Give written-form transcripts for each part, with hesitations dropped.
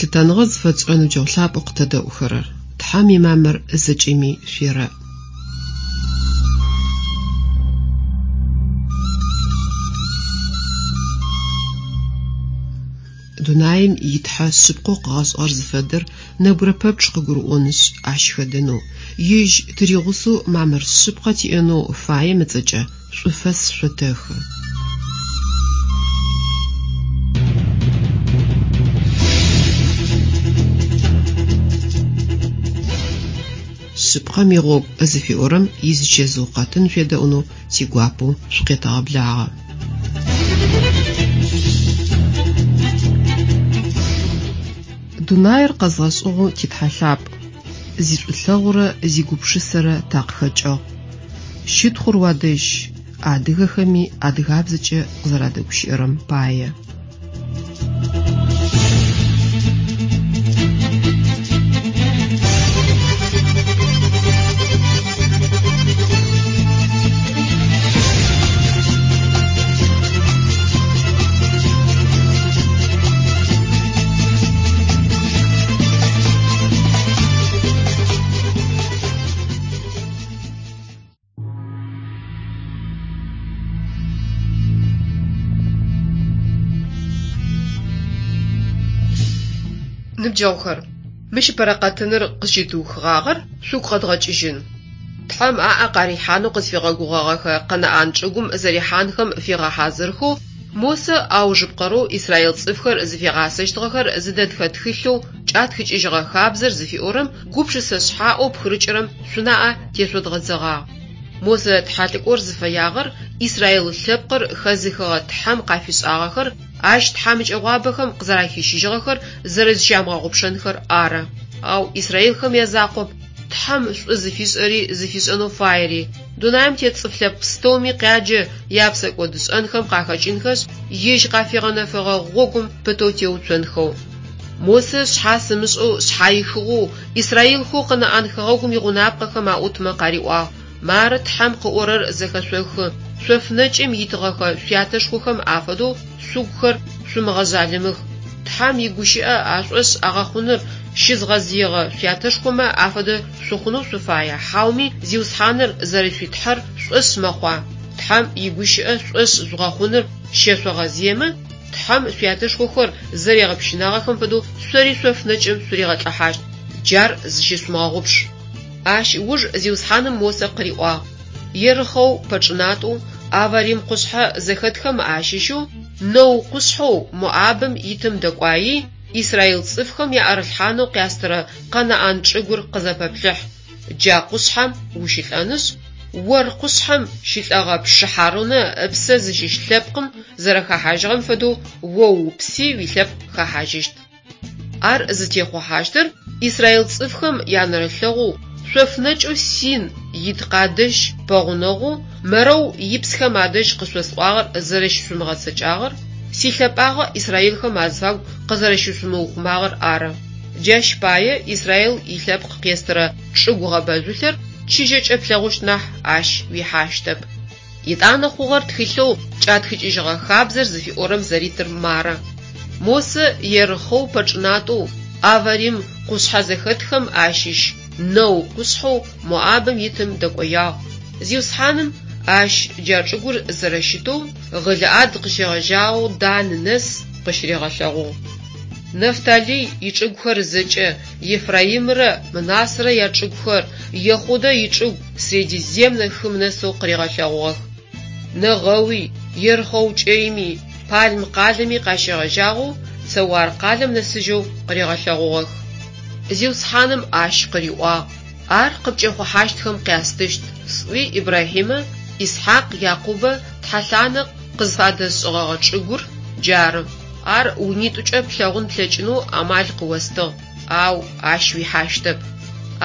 Лъытэныгъэ зыфэтшӏырэ ныбджэгъу лъапӏэу къытэдэӏухэрэр! Тхьэм имамыр зэкӏэми шъуерэӏ. Дунаим и Тхьэ шъыпкъэу къыгъэшӏыгъэр зыфэдэр нэбгырэ пэпчъ къыгурыӏонышъ, ащ хэдэнэу, Ежь тыригъусэу мамыр шъыпкъэ тиӏэнэу фаем ыцӏэкӏэ шӏуфэс шъотэхы. Шъыпкъэм игъогу зыфиӏорэм изычэзыу къэтын шъуедэӏунэу тигуапэу шъукъетэгъэблагъэ. Дунаир къэзгъэшӏыгъэу ти Тхьэ лъапӏ, зишӏулъэгъурэ зигупшысэрэ такъыхэкӏыгъ. Щытхъур уадэжь, адыгэхэми адыгабзэкӏэ къызэрадэгущыӏэрэм пае. Ныбджэгъухэр, мыщ ыпэрэ къэтыныр къызщытыухыгъагъэр шъугу къэдгъэкӏыжьын. Тхьэм аӏэ къарихьанэу къызфигъэгугъэгъэхэ Къэнаӏан чӏыгум зэрихьанхэм фигъэхьазырхэу Мосэ аужыпкъэрэу израил цӏыфхэр зыфигъасэщтыгъэхэр зыдэтхэ тхылъэу Кӏатхыкӏыжьыгъэ хабзэр зыфиӏорэм гупшысэ шъхьаӏэу пхырыкӏырэм шъунаӏэ тешъодгъэдзэгъагъ. Мосэ тхьэлӏыкӏор зыфэягъэр израил лъэпкъыр хэзыхыгъэ Тхьэм къафишӏагъэхэр, ащ тхьамыкӏэгъуабэхэм къызэрахищыжьыгъэхэр зэрэзыщамыгъэгъупшэнхэр ары. Ау израилхэм язакъоп Тхьэм шӏу зыфишӏэри зыфишӏэнэу фаери, дунаим тет цӏыф лъэпкъ пстэуми къяджэ япсэкӏодышӏэнхэм къахэкӏынхэшъ, ежь къафигъэнэфэгъэ гъогум пытэу теуцонхэу. Мосэ шъхьас ымышӏэу шъхьаихыгъэу израилхэу Къэнаӏан хэгъэгум игъунапкъэхэм аӏутмэ къариӏуагъ, Мары Тхьэм къыӏорэр зэхэшъохы, шъоф нэкӏым итыгъэхэ шъуятэшхохэм афэдэу шъугухэр шъумыгъэжъалымых. Тхьэм игущыӏэ ашӏошъ агъэхъуныр щызгъэзыегъэ шъуятэшхомэ афэдэ шъухъунэу шъуфая, хьауми Зиусхьаныр зэрэшъуи Тхьэр шъушӏошъ мэхъуа? Тхьэм игущыӏэ шъушӏошъ жъугъэхъуныр щэшъогъэзыемэ, Тхьэм шъуятэшхохэр зэригъэпщынагъэхэм фэдэу шъори шъоф нэкӏым шъуригъэлӏыхьащт. Джар зыщышъумыгъэгъупш. Ащ ыуж Зиусхьаным Мосэ къыриӏуагъ, Ерыхъэу пэчӏынатӏэу Аварим къушъхьэ зэхэтхэм ащыщэу Нэу къушъхьэу Моабым итым дэкӏуаий, израил цӏыфхэм яӏэрылъхьанэу къястырэ Къэнаӏан чӏыгур къызэпэплъыхь. Джа къушъхьэм ущылӏэнышъ, Ор къушъхьэм щылӏэгъэ пшы Хьарунэ ыпсэ зыщыщ лъэпкъым зэрэхэхьажьыгъэм фэдэу о упси уилъэпкъ хэхьажьыщт. Ар зытехъухьащтыр израил цӏыфхэм янэрылъэгъоу шъоф нэкӏэу Син ит Къадэщ пэгъунэгъоу Мэрэу ипсхэм адэжь къышъосӏуагъэр зэрэщышъумыгъэцэкӏагъэр, силъэпӏагъэ израилхэм азыфагу къызэрэщышъумыухъумагъэр ары. Джащ пае Израил илъэпкъ къестырэ чӏыгу гъэбэжъулъэр чыжьэкӏэ плъэгъущт нахь, ащ уихьащтэп. Етӏанэ хъугъэр тхылъэу Кӏатхыкӏыжьыгъэ хабзэр зыфиӏорэм зэритыр мары. Мосэ Ерыхъэу пэчӏынатӏэу Аварим къушъхьэ зэхэтхэм ащыщ Нэу къушъхьэу Моабым итым дэкӏоягъ. Зиусхьаным ащ джа чӏыгур зэрэщытэу Гъылыӏад къыщегъэжьагъэу Дан нэс къыщыригъэлъэгъугъ. Нафталый ичӏыгухэр зэкӏэ, Ефраимрэ Мынасэрэ ячӏыгухэр, Ехъудэ ичӏыгу Средиземнэ хым нэсэу къыригъэлъэгъугъэх. Нэгъэуи, Ерыхъэу кӏэйми, Палм къалэми къащегъэжьагъэу Цэуар къалэм нэсыжьэу къыригъэлъэгъугъэх. Зиусхьаным ащ къыриӏуагъ, Ар къыпкӏэхъухьащтхэм къястыщт, сӏуи Ибрахьимэ, Исхьакъ, Якъубэ тхьэлъанэ къызфадэсшӏыгъэгъэ чӏыгур джары. Ар унитӏукӏэ плъэгъун плъэкӏынэу амал къыостыгъ, ау ащ уихьащтэп.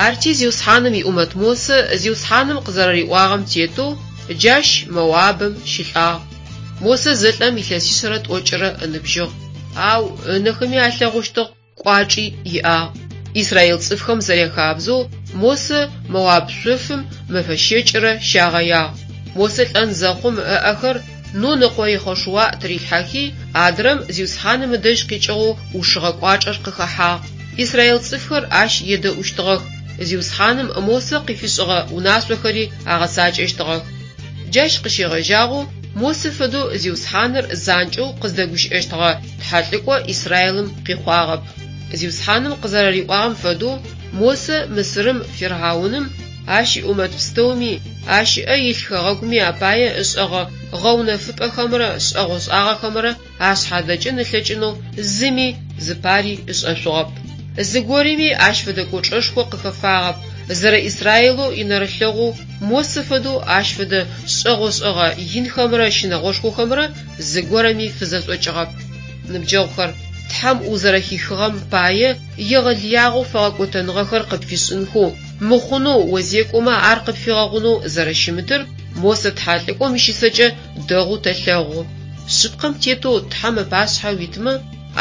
Арти Зиусхьаным иӏумэт Мосэ Зиусхьаным къызэрэриӏуагъэм тетэу джащ Моабым щылӏагъ. Мосэ зэлӏэм илъэсишъэрэ тӏокӏырэ ыныбжьыгъ, ау ынэхэми алъэгъущтыгъ, кӏуачӏи иӏагъ. Израил цӏыфхэм зэряхабзэу Мосэ Моаб шъофым мэфэ щэкӏырэ щагъэягъ. Мосэ лӏэн зэхъум ыӏэхэр Нун ыкъо Ехъошуа тырилъхьэхи, адрэм Зиусхьаным ыдэжь къикӏыгъэу ӏушыгъэ кӏуачӏэр къыхэхьагъ. Израил цӏыфхэр ащ едэӏущтыгъэх, Зиусхьаным Мосэ къыфишӏыгъэ унашъохэри агъэцакӏэщтыгъэх. Джащ къыщегъэжьагъэу Мосэ фэдэу Зиусхьаныр занкӏэу къыздэгущыӏэщтыгъэ тхьэлӏыкӏо Израилым къихъуагъэп. Зиусхьаным къызэрэриӏуагъэм фэдэу Мосэ Мысырым фирхьауным, ащ иӏумэт пстэуми, ащ ыӏэ илъ хэгъэгуми апае ышӏэгъэ гъэунэфыпӏэхэмрэ шӏэгъошӏагъэхэмрэ ашъхьадэкӏын ылъэкӏынэу зыми зыпари ышӏэшъугъэп. Зыгорэми ащ фэдэ кӏочӏэшхо къыхэфагъэп, зэрэ Израилэу инэрылъэгъоу Мосэ фэдэу ащ фэдэ шӏэгъошӏэгъэ инхэмрэ щынэгъошхохэмрэ зыгорэми фызэшӏокӏыгъэп. Ныбджэгъухэр, Тхьэм узэрэхихыгъэм пае егъэлыягъэу фэгъэкӏотэныгъэхэр къыпфишӏынхэу, мыхъунэу озекӏомэ ар къыпфигъэгъунэу зэрэщымытыр Мосэ тхьэлӏыкӏом ищысэкӏэ дэгъоу тэлъэгъу. Шъыпкъэм тетэу Тхьэм ыпашъхьэ уитмэ,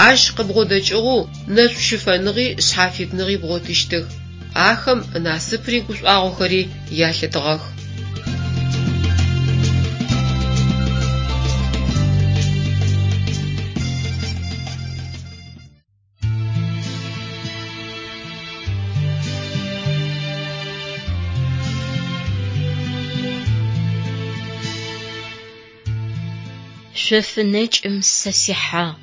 Ащ къыбгъодэкӏыгъэу нэшӏу щыфэныгъи шъхьафитныгъи бгъотыщтых. Ахэм насыпри гушӏуагъохэри ялъытыгъэх. Шъоф нэкӏым сэ сихьагъ,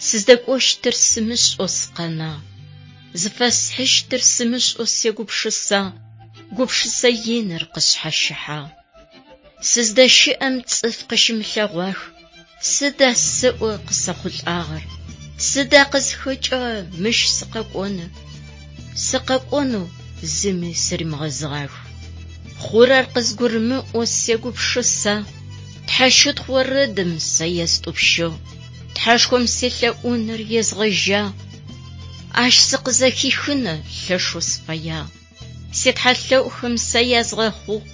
Сыздэкӏощтыр сымышӏэу сыкъэнагъ. Зыфэсхьыщтыр сымышӏэу сегупшысагъ, Гупшысэ иныр къысшъхьащыхьагъ. Сыздэщыӏэм цӏыф къыщымылъэгъуах, Сыда сэӏо къысэхъулӏагъэр? Сыда къызхэкӏыгъэр мыщ сыкъэкӏоныр? Сыкъэкӏонэу зыми сыримыгъэзыгъах. Хъурэр къызгурымыӏоу сегупшысэ, Тхьэщытхъу орэдым сэ естӏупщыгъ, Тхьэшхом селъэӏуныр езгъэжьагъ. Ащ сыкъызэхихыныр лъэшэу сыфэягъ. Ситхьэлъэӏухэм сэ язгъэхъугъ.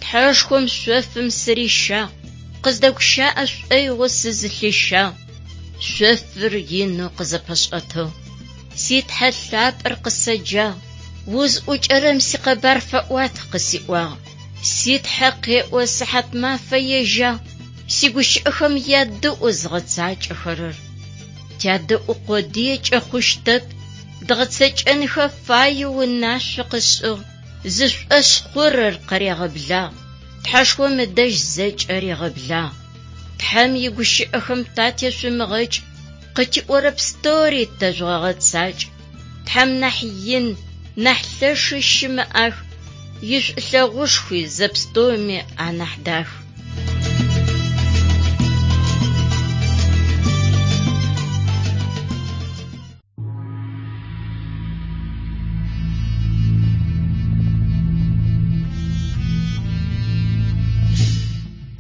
Тхьэшхом шъофым сырищагъ, къыздэгущыӏэ шӏоигъоу сызылъищагъ. Шъофыр инэу къызэпэшӏэтыгъ. Си Тхьэ лъапӏэр къысэджагъ, узӏукӏэрэм сикъэбар фэӏуат къысиӏуагъ. Си Тхьэ къеӏо сыхьатмафэ ежьагъ, сигущыӏэхэм ядэӏу зыгъэцакӏэхэрэр. Тядэӏу къодыекӏэ хъущтэп, дгъэцэкӏэнхэ фаеу унашъо къышӏыгъ, зышӏошъ хъурэр къырегъэблагъ, Тхьэшхом ыдэжь зэкӏэ регъэблагъ. Тхьэм игущыӏэхэм татешъумыгъэкӏ, къытиӏорэ пстэури тэжъугъэгъэцакӏ. Тхьэм нахь ин, нахь лъэши щымыӏэх, ишӏулъэгъушхуи зэпстэуми анахь дах.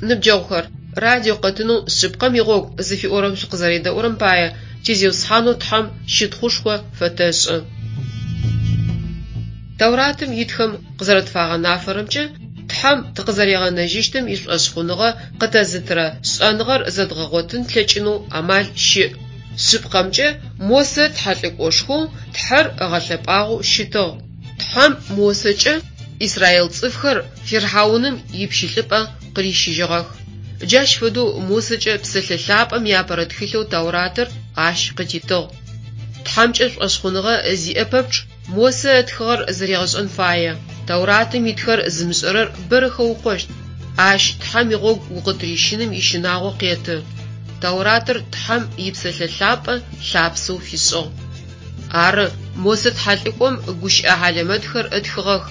Ныбджэгъухэр, радио къэтынэу Шъыпкъэм игъогу зыфиӏорэм шъукъызэредэӏурэм пае ти Зиусхьанэу Тхьэм щытхъушхо фэтэшӏы. Тэуратым итхэм къызэрэтфагъэнафэрэмкӏэ, Тхьэм тыкъызэригъэнэжьыщтым ишӏошъхъуныгъэ къытэзытырэ шӏэныгъэр зэдгъэгъотын тлъэкӏынэу амал щыӏ. Шъыпкъэмкӏэ, Мосэ тхьэлӏыкӏошхоу Тхьэр ыгъэлъэпӏагъэу щытыгъ. Тхьэм Мосэкӏэ израил цӏыфхэр фирхьауным ипщылӏыпӏэ къырищыжьыгъэх. Джащ фэдэу Мосэкӏэ Псэлъэ Лъапӏэм иапэрэ тхылъэу Тауратыр ащ къытитыгъ. Тхьэмкӏэ шӏошъхъуныгъэ зиӏэ пэпчъ Мосэ ытхыгъэр зэригъэшӏэн фае. Тауратым итхэр зымышӏэрэр бэрэ хэукъощт. Ащ Тхьэм игъогу укъытырищыным ищынагъо къеты. Тауратыр Тхьэм и Псэлъэ Лъапӏэ лъапсэу фишӏыгъ. Ары, Мосэ тхьэлӏыкӏом гущыӏэ хьалэмэтхэр ытхыгъэх.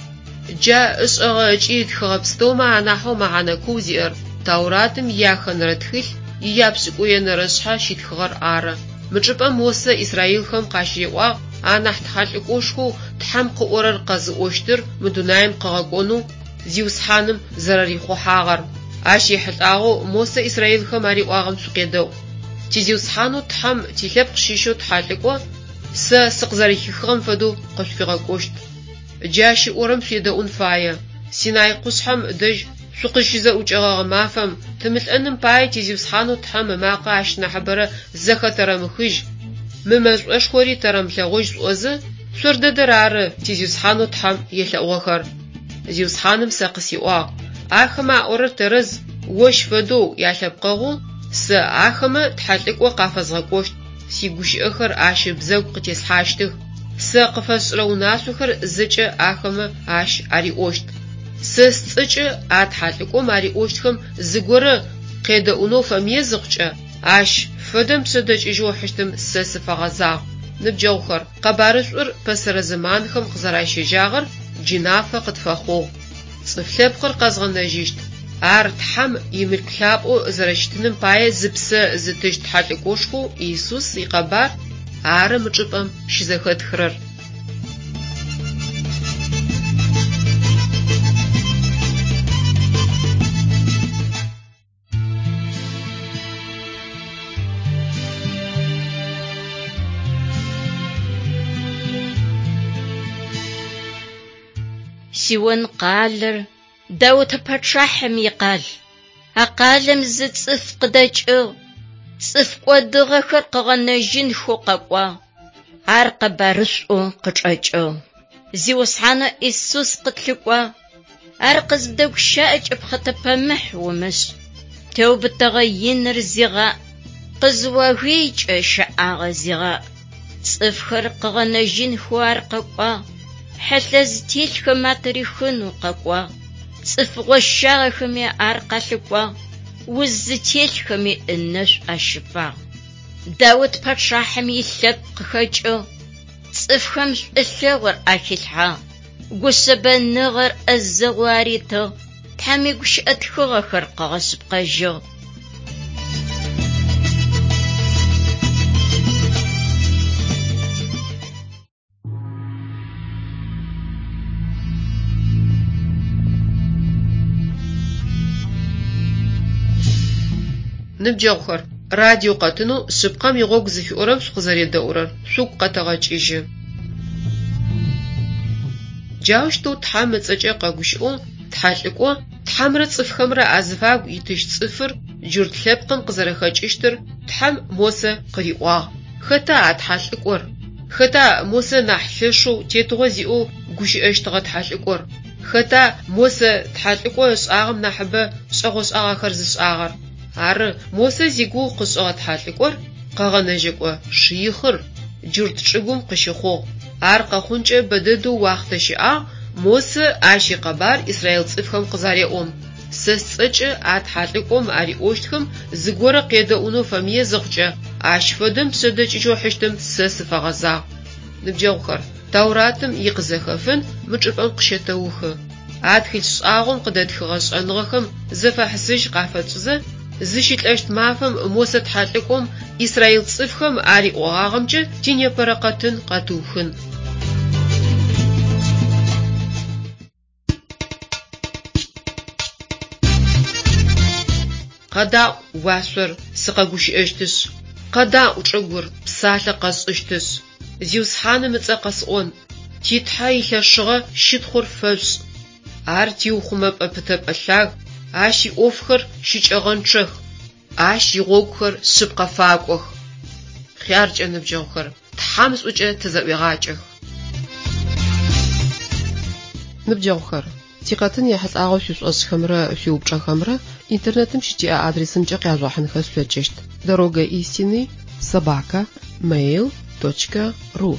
Джа ышӏэгъэ ыкӏи ытхыгъэ пстэумэ анахьэу мэхьанэ куу зиӏэр Тауратым ияхэнэрэ тхылъ ияпшӏыкӏуенэрэ шъхьэ щитхыгъэр ары. Мы чӏыпӏэм Мосэ израилхэм къащыриӏуагъ анахь тхьэлӏыкӏошхоу Тхьэм къыӏорэр къэзыӏощтыр мы дунаим къыгъэкӏонэу Зиусхьаным зэрэрихъухьагъэр. Ащ ехьылӏагъэу Мосэ израилхэм ариӏуагъэм шъукъедэӏу. Ти Зиусхьанэу Тхьэм тилъэпкъ щыщэу тхьэлӏыкӏо сэ сыкъызэрэхихыгъэм фэдэу къышъуфигъэкӏощт. Джы ащ ыӏорэм шъуедэӏун фае. Синай къушъхьэм дэжь шъукъыщызэӏукӏэгъэгъэ мафэм, тымылӏэным пае ти Зиусхьанэу Тхьэм ымакъэ ащ нахьыбэрэ зэхэтэрэмыхыжь, мы мэшӏошхори тэрэмылъэгъужь шъуӏозэ, шъор дэдэр ары ти Зиусхьанэу Тхьэм елъэӏугъэхэр. Зиусхьаным сэ къысиӏуагъ, Ахэмэ аӏорэр тэрэз. Ощ фэдэу ялъэпкъэгъоу сэ ахэмэ тхьэлӏыкӏо къафэзгъэкӏощт, сигущыӏэхэр ащ ыбзэгу къытеслъхьащтых, сэ къыфэсшӏырэ унашъохэр зэкӏэ ахэмэ ащ ариӏощт. Сэ сцӏэкӏэ а тхьэлӏыкӏом ариӏощтхэм зыгорэ къедэӏунэу фэмые зыхъукӏэ, ащ фэдэм пшъэдэкӏыжьэу ыхьыщтым сэ сыфэгъэзагъ. Ныбджэгъухэр, къэбарышӏур пэсэрэ зэманхэм къызэращежьагъэр джы нафэ къытфэхъугъ. Цӏыф лъэпкъыр къэзгъэнэжьыщт, ар Тхьэм имылъку лъапӏэу зэрэщытыным пае зыпсэ зытыщт тхьэлӏыкӏошхоу Исус икъэбар ары мы чӏыпӏэм щызэхэтхырэр. Сион къалэр Даутэ пачъахьым икъал. А къалэм зы цӏыф къыдэкӏыгъ, цӏыф кӏодыгъэхэр къыгъэнэжьынхэу къэкӏуагъ. Ар къэбарышӏоу къычӏэкӏыгъ. Зиусхьанэу Исус къытлъыкӏуагъ. Ар къызыбдэгущыӏэкӏэ пхъэтэпэмыхь умышӏ. Теубытэгъэ иныр зигъаӏ, къызыогыйкӏэ щэӏагъэ зигъаӏ. Цӏыфхэр къыгъэнэжьынхэу ар къэкӏуагъ, хьылъэ зытелъхэм атырихынэу къэкӏуагъ. Цӏыф гъощагъэхэми ар къалъыкӏуагъ, уз зытелъхэми ынэшӏу ащыфагъ. Даут пачъахьым илъэпкъ къыхэкӏыгъ, цӏыфхэм шӏулъэгъур ахилъхьагъ, гушъэбэныгъэр ӏэзэгъоу аритыгъ, Тхьэм игущыӏэ тхыгъэхэр къыгъэшъыпкъэжьыгъ. Ныбджэгъухэр, радио къэтынэу Шъыпкъэм игъогу зыфиӏорэм шъукъызэредэӏурэр шъугу къэтэгъэкӏыжьы. Джаущтэу Тхьэм ыцӏэкӏэ къэгущыӏэу тхьэлӏыкӏо, Тхьэмрэ цӏыфхэмрэ азыфагу итыщт цӏыфыр джурт лъэпкъым къызэрэхэкӏыщтыр Тхьэм Мосэ къыриӏуагъ. Хэта а тхьэлӏыкӏор? Хэта Мосэ нахь лъэшэу тетыгъо зиӏэу гущыӏэщтыгъэ тхьэлӏыкӏор? Хэта Мосэ тхьэлӏыкӏо ышӏагъэм нахьыбэ шӏэгъошӏагъэхэр зышӏагъэр? Ары, Мосэ зигугъу къышӏыгъэ тхьэлӏыкӏор Къэгъэнэжьэкӏо Шыихъыр джурт чӏыгум къыщыхъугъ. Ар къэхъункӏэ бэдэдэу уахътэ щыӏагъ Мосэ ащ икъэбар израил цӏыфхэм къызареӏом. Сэ сцӏэкӏэ а тхьэлӏыкӏом ариӏощтхэм зыгорэ къедэӏунэу фэмые зыхъукӏэ, ащ фэдэм пшъэдэкӏыжьэу ыхьыщтым сэ сыфэгъэзагъ. Ныбджэгъухэр, Тауратым икъызэхэфын мы чӏыпӏэм къыщэтэухы. А тхылъ шӏагъом къыдэтхыгъэ шӏэныгъэхэм зэфэхьысыжь къафэтшӏызэ, зыщылӏэщт мафэм Мосэ тхьэлӏыкӏом израил цӏыфхэм ариӏогъагъэмкӏэ тинепэрэ къэтын къэтыухын. Къэдаӏу, уашъор, сыкъэгущыӏэщтышъ. Къэдаӏу, чӏыгур, псалъэ къэсшӏыщтышъ. Зиусхьаным ыцӏэ къэсӏон, ти Тхьэ илъэшыгъэ щытхъур фэшъушӏ. Ар тиухъумэпӏэ пытэпӏэ лъаг, Ащ иӏофхэр щыкӏэгъэнчъэх, Ащ игъогухэр шъыпкъэ факӏох. Хъяркӏэ, ныбджэгъухэр, Тхьэм шӏукӏэ тызэӏуегъакӏэх. Ныбджэгъухэр, тикъэтын ехьылӏагъэу шъуишӏошӏхэмрэ шъуиупчӏэхэмрэ интернетым щытиӏэ адресымкӏэ къяжъугъэхьынхэ шъулъэкӏыщт: Дорога истины собака mail точка ру.